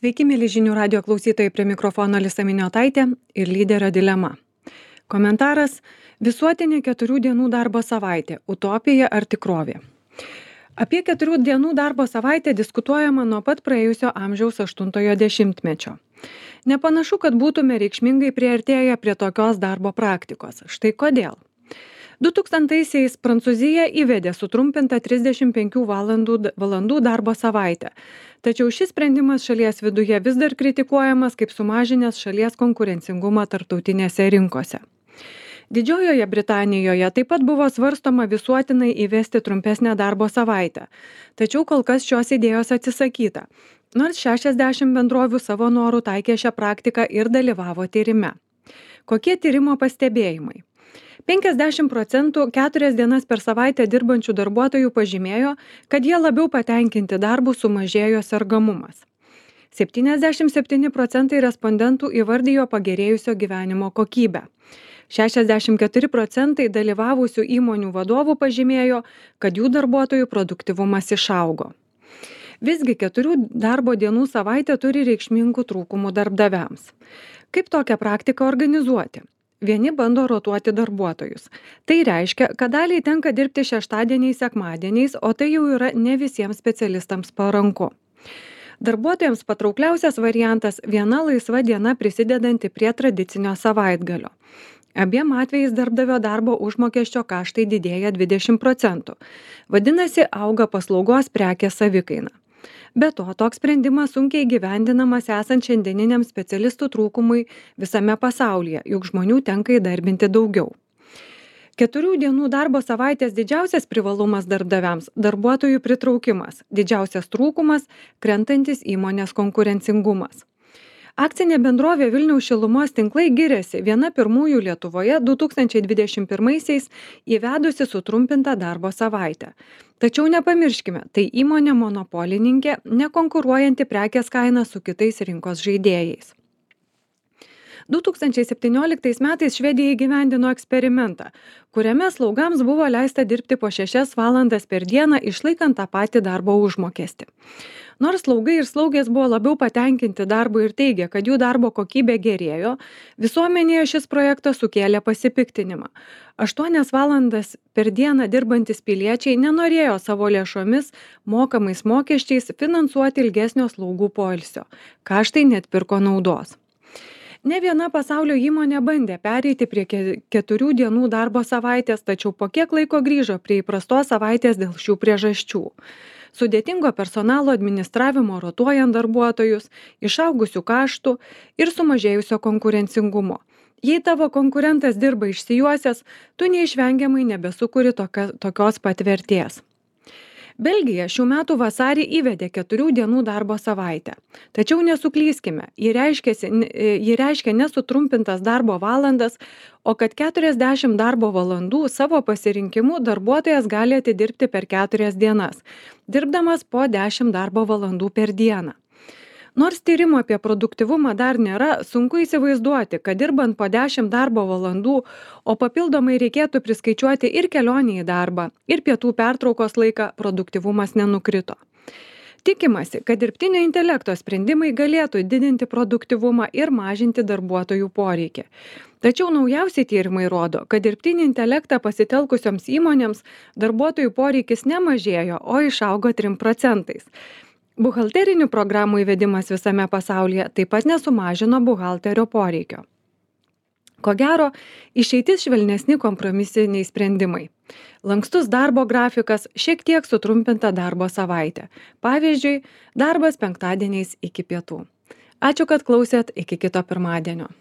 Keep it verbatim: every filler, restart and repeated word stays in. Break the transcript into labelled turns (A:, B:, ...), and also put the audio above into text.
A: Sveiki, mėly žinių radio klausytojai, prie mikrofono Alisa Miniotaitė ir lyderio dilema. Komentaras: visuotinė keturių dienų darbo savaitė – utopija ar tikrovė? Apie keturių dienų darbo savaitę diskutuojama nuo pat praėjusio amžiaus aštuntojo dešimtmečio. Nepanašu, kad būtume reikšmingai priartėję prie tokios darbo praktikos. Štai kodėl. du tūkstantaisiais Prancūzija įvedė sutrumpintą trisdešimt penkių valandų, valandų darbo savaitę. Tačiau šis sprendimas šalies viduje vis dar kritikuojamas kaip sumažinęs šalies konkurencingumą tarptautinėse rinkose. Didžiojoje Britanijoje taip pat buvo svarstoma visuotinai įvesti trumpesnę darbo savaitę. Tačiau kol kas šios idėjos atsisakyta, nors šešiasdešimt bendrovių savo norų taikė šią praktiką ir dalyvavo tyrime. Kokie tyrimo pastebėjimai? penkiasdešimt procentų keturias dienas per savaitę dirbančių darbuotojų pažymėjo, kad jie labiau patenkinti darbų, sumažėjo sergamumas. septyniasdešimt septyni procentai respondentų įvardijo pagerėjusio gyvenimo kokybę. šešiasdešimt keturi procentai dalyvavusių įmonių vadovų pažymėjo, kad jų darbuotojų produktyvumas išaugo. Visgi keturių darbo dienų savaitė turi reikšmingų trūkumų darbdaviams. Kaip tokią praktiką organizuoti? Vieni bando rotuoti darbuotojus. Tai reiškia, kad daliai tenka dirbti šeštadieniais, sekmadieniais, o tai jau yra ne visiems specialistams paranku. Darbuotojams patraukliausias variantas – viena laisva diena prisidedanti prie tradicinio savaitgalio. Abiem atvejais darbdavio darbo užmokesčio kaštai didėja dvidešimt procentų. Vadinasi, auga paslaugos prekės savikaina. Be to, toks sprendimas sunkiai įgyvendinamas esant šiandieniniam specialistų trūkumui visame pasaulyje, juk žmonių tenka įdarbinti daugiau. Keturių dienų darbo savaitės didžiausias privalumas darbdaviams – darbuotojų pritraukimas, didžiausias trūkumas – krentantis įmonės konkurencingumas. Akcinė bendrovė Vilniaus šilumos tinklai giriasi viena pirmųjų Lietuvoje du tūkstančiai dvidešimt pirmaisiais įvedusi sutrumpintą darbo savaitę. Tačiau nepamirškime, tai įmonė monopolininkė, nekonkuruojanti prekės kaina su kitais rinkos žaidėjais. du tūkstančiai septynioliktais metais Švedija įgyvendino eksperimentą, kuriame slaugams buvo leista dirbti po šešias valandas per dieną, išlaikant tą patį darbo užmokestį. Nors slaugai ir slaugės buvo labiau patenkinti darbu ir teigė, kad jų darbo kokybė gerėjo, visuomenėje šis projektas sukėlė pasipiktinimą. Aštuonias valandas per dieną dirbantis piliečiai nenorėjo savo lėšomis, mokamais mokesčiais finansuoti ilgesnio slaugų poilsio. Kaštai neatpirko naudos. Ne viena pasaulio įmonė bandė pereiti prie keturių dienų darbo savaitės, tačiau po kiek laiko grįžo prie įprastos savaitės dėl šių priežasčių. Sudėtingo personalo administravimo rotuojant darbuotojus, išaugusių kaštų ir sumažėjusio konkurencingumo. Jei tavo konkurentas dirba išsijuosęs, tu neišvengiamai nebesukuri tokia, tokios pat vertės. Belgija šių metų vasarį įvedė keturių dienų darbo savaitę. Tačiau nesuklyskime, ji reiškia, ji reiškia nesutrumpintas darbo valandas, o kad keturiasdešimt darbo valandų savo pasirinkimu darbuotojas gali atidirbti per keturias dienas, dirbdamas po dešimt darbo valandų per dieną. Nors tyrimo apie produktyvumą dar nėra, sunku įsivaizduoti, kad dirbant po dešimt darbo valandų, o papildomai reikėtų priskaičiuoti ir kelionę į darbą, ir pietų pertraukos laiką, produktyvumas nenukrito. Tikimasi, kad dirbtinio intelekto sprendimai galėtų didinti produktyvumą ir mažinti darbuotojų poreikį. Tačiau naujausi tyrimai rodo, kad dirbtinį intelektą pasitelkusioms įmonėms darbuotojų poreikis nemažėjo, o išaugo trim procentais. Buhalterinių programų įvedimas visame pasaulyje taip pat nesumažino buhalterio poreikio. Ko gero, išeitis švelnesni kompromisiniai sprendimai. Lankstus darbo grafikas, šiek tiek sutrumpinta darbo savaitė. Pavyzdžiui, darbas penktadieniais iki pietų. Ačiū, kad klausėt, iki kito pirmadienio.